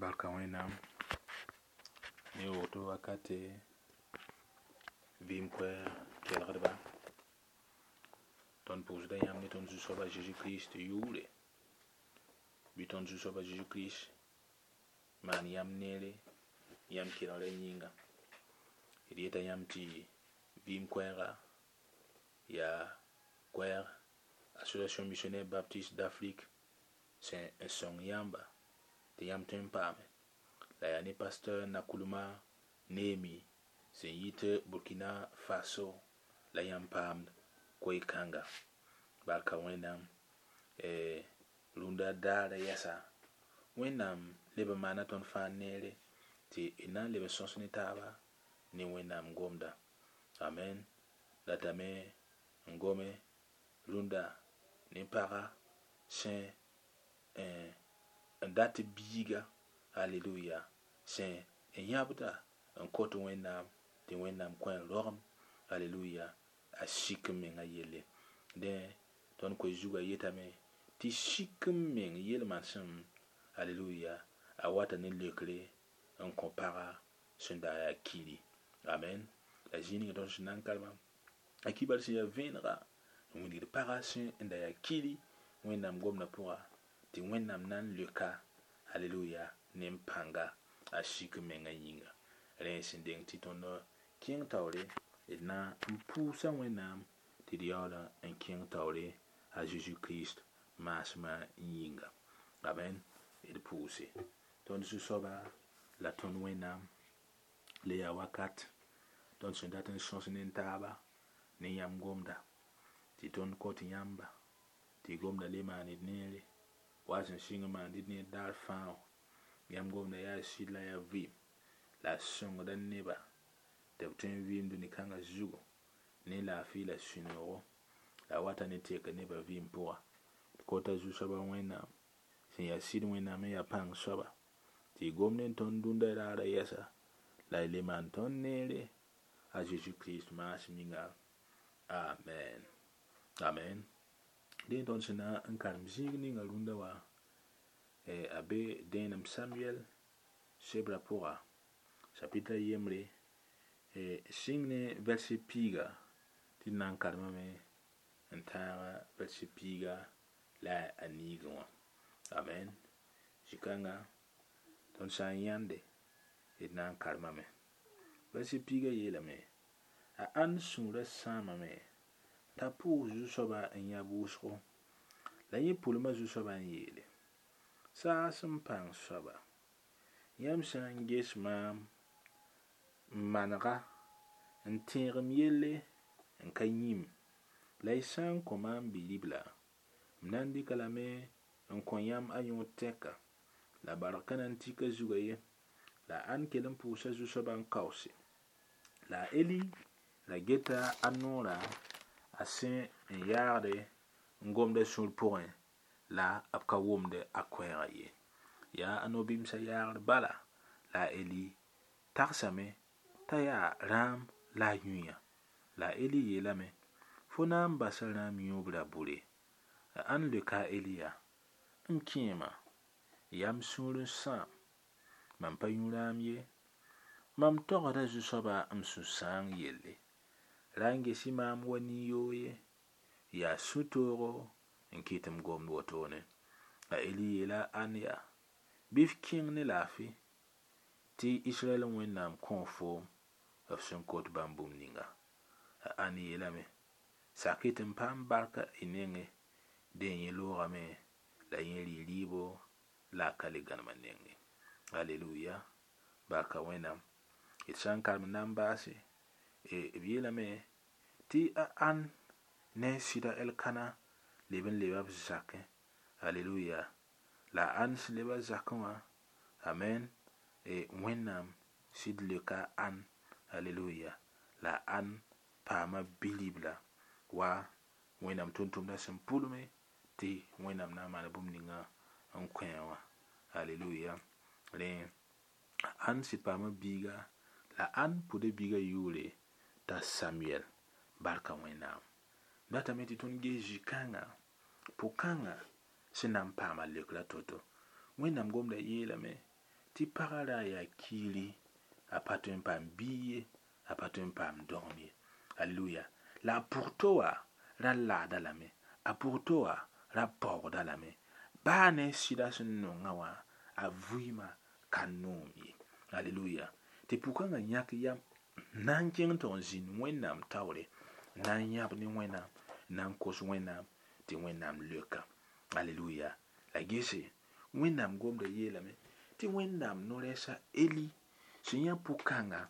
Barka Wẽnnaam ne woto wakate vɩɩm koɛɛg kelgdba. Tõnd pʋʋsda yãmb ne tõnd Zu-soab a Zeezi Kirist yʋʋre. Bɩ tõnd Zu-soab a Zeezi Kirist maan yãmb neere yãmb kelgrã yĩnga. D yeta yãmb tɩ vɩɩm koɛɛga yaa koɛɛg Association Missionnaire Baptiste d'Afrique sẽn n sõng yãmba tɩ yãmb tõe n paame. La yaa ne pasteur Nakuluma Neemi sẽn yit Burkina Faso la yãmb paamd koe-kãnga. Barka Wẽnnaam rũndã daarã yɛsa Wẽnnaam leb n maana tõnd fãa neere tɩ d na n leb n sõs ne taaba ne Wẽnnaam gomda. Amen. Datame n gome rũndã ne paga sẽn n dat biiga, aleluya, sẽn n yãbda n kot Wẽnnaam tɩ Wẽnnaam kõ a rogem, aleluya, a sik n mengã yelle. Dẽ, tõnd koe zugã yetame tɩ sik n meng yel-manesem, aleluya, a wata ne leokre n kõ paga sẽn da yaa kiri. Amen. La zĩig ninga tõnd sẽn na n karema, a kibar sẽn yaa vẽenega n wilgd paga sẽn n da yaa kiri Wẽnnaam gomdã pʋga tɩ Wẽnnaam na n leoka, aleluya, ne n pãnga a sik n mengã yĩnga. Rẽ sẽn deng tɩ tõnd kẽng taoore d na n pʋʋsa Wẽnnaam tɩ d yaool n kẽng taoore a Zeezi Kirist maasmã yĩnga. Amen. D pʋʋse. Tõnd Zu-soaba la tõnd Wẽnnaam le yaa wakat tõnd sẽn dat n sõs ne taaba ne yãmb gomda tɩ tõnd kõt yãmba tɩ gomda le maan d neere wa sẽn sɩng n maand d neer daar fãa wã. Yãmb gomda yaa sɩd la yaa vɩɩm la a sõngda neba tɩ b tõe n vɩɩm dũni-kãngã zugu ne laafɩ la sũ-noogo la wata ne teka nebã vɩɩm pʋga. D kota Zu-soabã Wẽnnaam sẽn yaa sɩd Wẽnnaam n yaa pãng soaba tɩ y gomd n tõnd dũndã raarã yɛsa la y le maan tõnd neere a Zeezi Kirist maasem yĩnga. Amen. Amen. Dẽ tõnd sẽn na n karem zĩig ninga rũndã wã a be dẽenem Samuel sebrã pʋga chapitre yembre sɩng ne verset piiga tɩ d na n karemame n tãag verset piiga la a niigẽ wã. Amen. Zĩ-kãnga tõnd sã n yãnde d na n karemame. Verset piiga yeelame a ãnd sũurã sãamame t'a pʋʋs Zu-soabã n yã wʋsgo la yẽ pʋlma Zu-soabã n yeele saas n pãng soaba yãmb sã n ges maam n manega n tẽeg m yelle n ka yĩm la y sã n kõ maam bi-ribla m na n dɩka lame n kõ yãmb a yõod tɛka la barg ka na n tik a zugã ye la a ãnd kell n pʋʋsa Zu-soabã n kaoose la a Eli ra geta a noorã a sẽn n yaagde n gomda sũur pʋgẽ la b ka wʋmd a koɛɛgã ye. Yaa a no-bɩmsã yaagr bala la a Eli tagsame t'a yaa rãam la a yũ-yã. La a Eli yeelame fo na n basa rãam yũub ra bure. A ãnd leoka a Eli yaa m kẽema yaa m sũur n sãam mam pa yũ rãam ye mam togsda Zu-soabã m sũ-sãang yelle ra n ges-y maam wa nin-yoog ye yaa sũ-toogo n kɩt m gomd wotone. A Eli yeela ãnd yaa bɩ f kẽng ne laafɩ tɩ Israɛl Wẽnnaam kõ foom f sẽn kot bãmb bũmb ninga. A ãnd yeelame sak-y tɩ m paam barka y nengẽ dẽ yẽ loogame la yẽ rɩ rɩɩbo la a ka le gãnem a nengẽ. Aleluya. Barka Wẽnnaam. D sã n karem n na n baase b yeelame tɩ a ãn ne a sɩda Elkana leb n leba b zakẽ. Aleluya. La a ãn sẽn leba zakẽ wã, amen, Wẽnnaam sɩd leoka a ãn, aleluya, la a ãn paama bi-ribla wa Wẽnnaam tʋm-tʋmdã sẽn pʋlme tɩ Wẽnnaam na n maan bũmb ninga n kõ wã. Aleluya. Rẽ a ãn sɩd paama biiga la ãn pʋda biiga yʋʋre t'a Samuel. Barka Wẽnnaam. Datame tɩ tõnd ges zĩ-kãngã pʋ-kãngã sẽn na n paama leokrã to-to. Wẽnnaam gomda yeelame Tɩ pagã ra yaa kiiri, a pa tõe n paam biig ye, a pa tõe n paam dogem ye. Aleluya. La a pʋgto wã ra laada lame, a pʋgto wã ra paoogda lame. Baa ne sɩda sẽn nongã wã, a vɩɩmã ka noom ye. Aleluya. Tɩ pʋkãngã yãk yam na n kẽng tɩ n zĩnd Wẽnnaam taoore, na n yãb ne Wẽnnaam, na n kos Wẽnnaam tɩ Wẽnnaam leoka. Aleluya. La gese, Wẽnnaam gomda yeelame tɩ Wẽnnaam no-rɛɛs a Eli sẽn yã pʋkãngã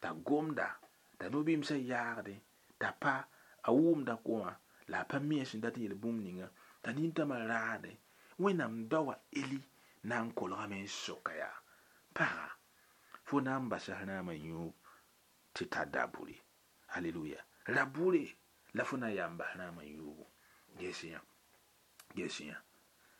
t'a gomda, t'a no-bɩmsã yaagdẽ, t'a pa a wʋmda koã la a pa mi a sẽn dat n yeel bũmb ninga, t'a nintãmã raadẽ. Wẽnnaam daoa Eli na n kolgame n soka yaa, paga, fo na n basa rãamã yũub tɩ tar dabʋre. Aleluya. Rabʋre la fo na n yaa n bas rãamã yũubu. Ges yã, ges yã.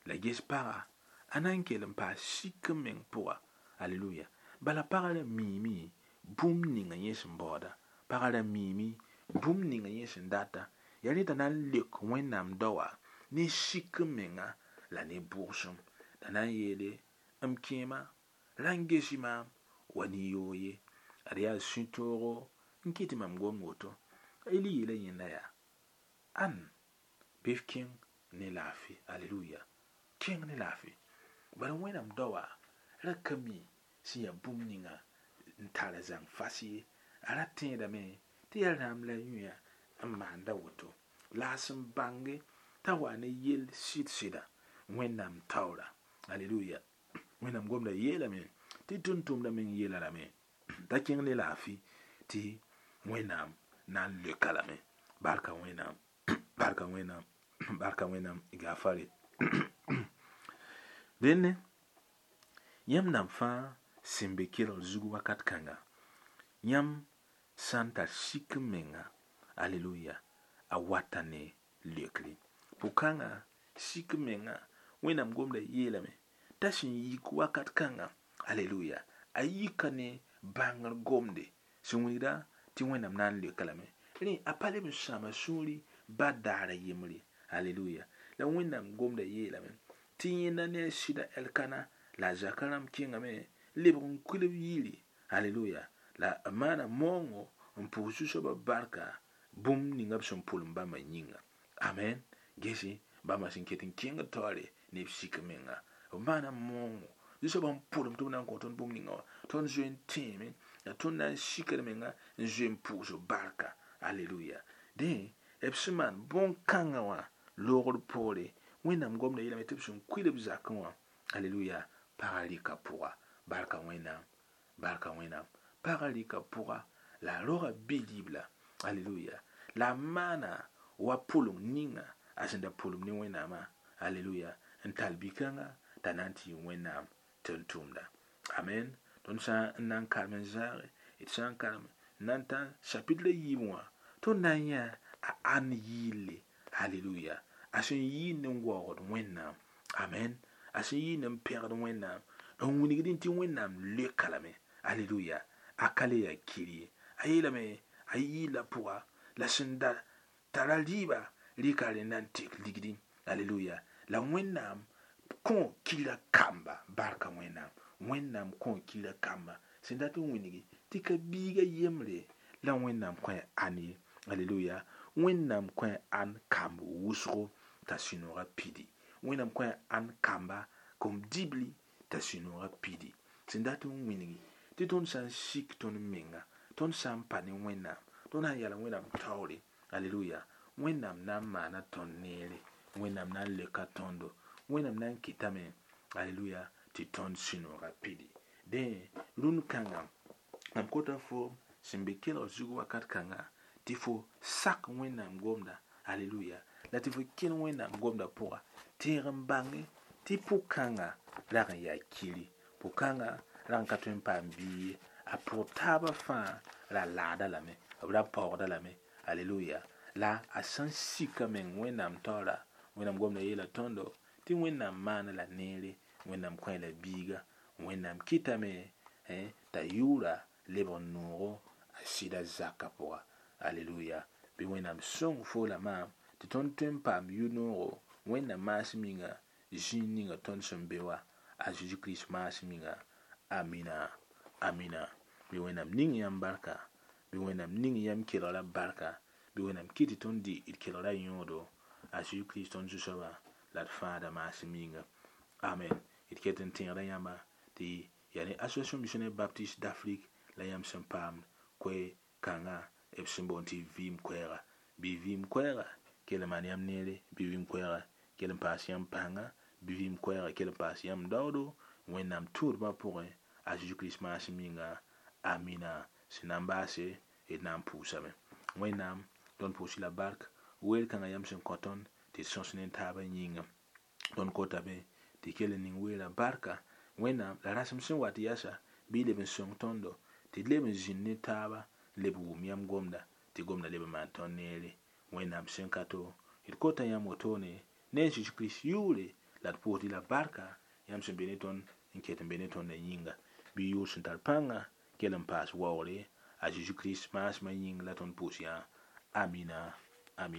La ges paga, a na n kell n paas sik n meng pʋga. Aleluya. Bala pagã ra miime bũmb ninga yẽ sẽn baooda. Pagã ra miime bũmb ninga yẽ sẽn data. Yaa rẽ t'a na n leok Wẽnnaam daoa ne sik n menga la ne bʋgsem. La na n yeele, m kẽema, ra n gesi maam wa ne-yoog ye. Ad yaa sũ-toogo n kɩt tɩ mam gom woto. Eli yeela yẽnda yaa, ãn bɩ f kẽng ne laafɩ. Aleluya. Kẽng ne laafɩ. Bala Wẽnnaam daoa ra ka mi sẽn yaa bũmb ninga n tar zãng fas ye. A ra tẽedame tɩ yaa rãmb la yũya n maanda woto. La a sẽn bãnge t'a wa ne yell sɩd-sɩda Wẽnnaam taoora. Aleluya. Wẽnnaam gomda yeelame tɩ tʋm-tʋmdã meng yeela lame t'a kẽng ne laafɩ tɩ Wẽnnaam na n leoka lame. Barka Wẽnnaam, barka Wẽnnaam, barka Wẽnnaam gafare. Dẽnne, yãmb nan fãa sẽn be kelgr zug wakat kãnga, yãmb sã n tar sik n menga, aleluya, a wata ne leokre. Pʋkãngã sik n menga, Wẽnnaam gomda yeelame t'a sẽn yik wakat kãnga, aleluya, a yika ne bãngr gomde sẽn wilgda tɩ Wẽnnaam na n leoka lame. Rẽ a pa leb n sãama sũuri ba daara yembre. Aleluya. La Wẽnnaam gomda yeelame tɩ yẽnda ne a sɩda Elkana la a zaka rãmb kẽngame lebg n kuil b yiri. Aleluya. La b maana maoongo n pʋʋs Zu-soabã barka bũmb ninga b sẽn pʋlem bãmba yĩnga. Amen. Gese, bãmba sẽn ket n kẽngd taoore ne b sik menga. B maana maoongo. Zu-soabã n pʋlem tɩ b na n kõ tõnd bũmb ninga wã. Tõnd zoe n tẽeme la tõnd na n sikd menga n zoe n pʋʋs barka. Aleluya. Dẽ, b sẽn maan bõn-kãngã wã loogr poore, Wẽnnaam gomda yeelame tɩ b sẽn kuil b zakẽ wã, aleluya, pagã rɩka pʋga. Barka Wẽnnaam, barka Wẽnnaam. Pagã rɩka pʋga la a roga bi-ribla. Aleluya. La a maana wa pʋlem ninga a sẽn da pʋlem ne Wẽnnaamã. Aleluya. N tall bi-kãngã t'a na n tɩ yɩ Wẽnnaam tʋm-tʋmda. Amen. Tõnd sã n na n karem n zãage, d sã n karem n na n tã chapitre yiib wã, tõnd na n yã a ãn yɩɩlle. Aleluya. A sẽn yɩɩnd n waoogd Wẽnnaam. Amen. A sẽn yɩɩnd n pẽgd Wẽnnaam. N wilgdẽ tɩ Wẽnnaam leoka lame. Aleluya. A ka le yaa kir ye. A yeelame a yɩɩla pʋga la sẽn da tara rɩɩba rɩka rẽnda n tek ligdẽ. Aleluya. La Wẽnnaam kõ kira kamba. Barka Wẽnnaam. Wẽnnaam kõ kira kamba. Sẽn dat n wilgi tɩ ka biiga yembre la Wẽnnaam kõ ãn ye. Aleluya. Wẽnnaam kõ ãn kamb wʋsgo t'a sũ-noogã pidi. Wẽnnaam kõ ãn kamba kom dibli t'a sũ-noogã pidi. Sẽn dat n wilgi tɩ tõnd sã n sik tõnd menga, tõnd sã n pa ne Wẽnnaam, tõnd sã n yala Wẽnnaam taoore. Aleluya. Wẽnnaam na n maana tõnd neere. Wẽnnaam na n leoka tõndo. Wẽnnaam na n kɩtame, aleluya, tɩ tõnd sũ-noogã pidi. Dẽ, rũnd kãngã, mam kota fo sẽn be kelgr zug wakat kãnga tɩ fo sak Wẽnnaam gomda. Aleluya. La tɩ fo kẽn Wẽnnaam gomda pʋga. Tẽeg n bãnge tɩ pʋg-kãngã rag n yaa kiri. Pʋg-kãngã rag n ka tõe n paam biig ye. A pʋg taabã fãa ra laada lame, b ra paoogda lame. Aleluya. La a sẽn sika meng Wẽnnaam taoora, Wẽnnaam gomda yeela tõndo tɩ Wẽnnaam maana la neere, Wẽnnaam kõ la biiga, Wẽnnaam kɩtame t'a yʋʋra lebg n noogo a sɩda zakã pʋga. Aleluya. Bɩ Wẽnnaam sõng fo la maam tɩ tõnd tõe n paam yʋ-noogo Wẽnnaam maasem yĩnga zĩig ninga tõnd sẽn be wã, a Zeezi Kirist maasem yĩnga. Amina, amina. Bɩ Wẽnnaam ning yãmb barka, bɩ Wẽnnaam ning yãmb kelgra barka, bɩ Wẽnnaam kɩt tɩ tõnd dɩ d kelgra yõodo a Zeezi Kirist tõnd Zu-soaba la d Fãada maasem yĩnga. Amen. D ket n tẽegda yãmba tɩ yaa ne Association Missionnaire Baptiste d'Afrique la yãmb sẽn paamd koe-kãngã b sẽn boond tɩ vɩɩm koɛɛga. Bɩ vɩɩm koɛɛga kell n maan yãmb neere, bɩ vɩɩm koɛɛga kell n paas yãmb pãnga, bɩ vɩɩm koɛɛga kell n paas yãmb daoodo Wẽnnaam tũudbã pʋgẽ a Zeezi Kirist maasem yĩnga. Amina. Sẽn na n baase d na n pʋʋsame. Wẽnnaam, tõnd pʋʋs-y la bark weer kãngã yãmb sẽn kõ tõnd tɩ d sõs ne taabã yĩnga. Tõnd kotame tɩ kell n ning weerã barka. Wẽnnaam la rasem sẽn wat yasa bɩ y leb n sõng tõndo tɩ d leb n zĩnd ne taaba n leb wʋm yãmb gomda tɩ gomda leb n maan tõnd neere. Wẽnnaam sẽn ka to, d kota yãmb wotone ne a Zeezi Kirist yʋʋre la d pʋʋsd-y la barka yãmb sẽn be ne tõnd n ket n be ne tõndã yĩnga. Bɩ yʋʋr sẽn tar pãnga kell n paas waoogre a Zeezi Kirist maasmã yĩng la tõnd pʋʋs yã. Amina, amina.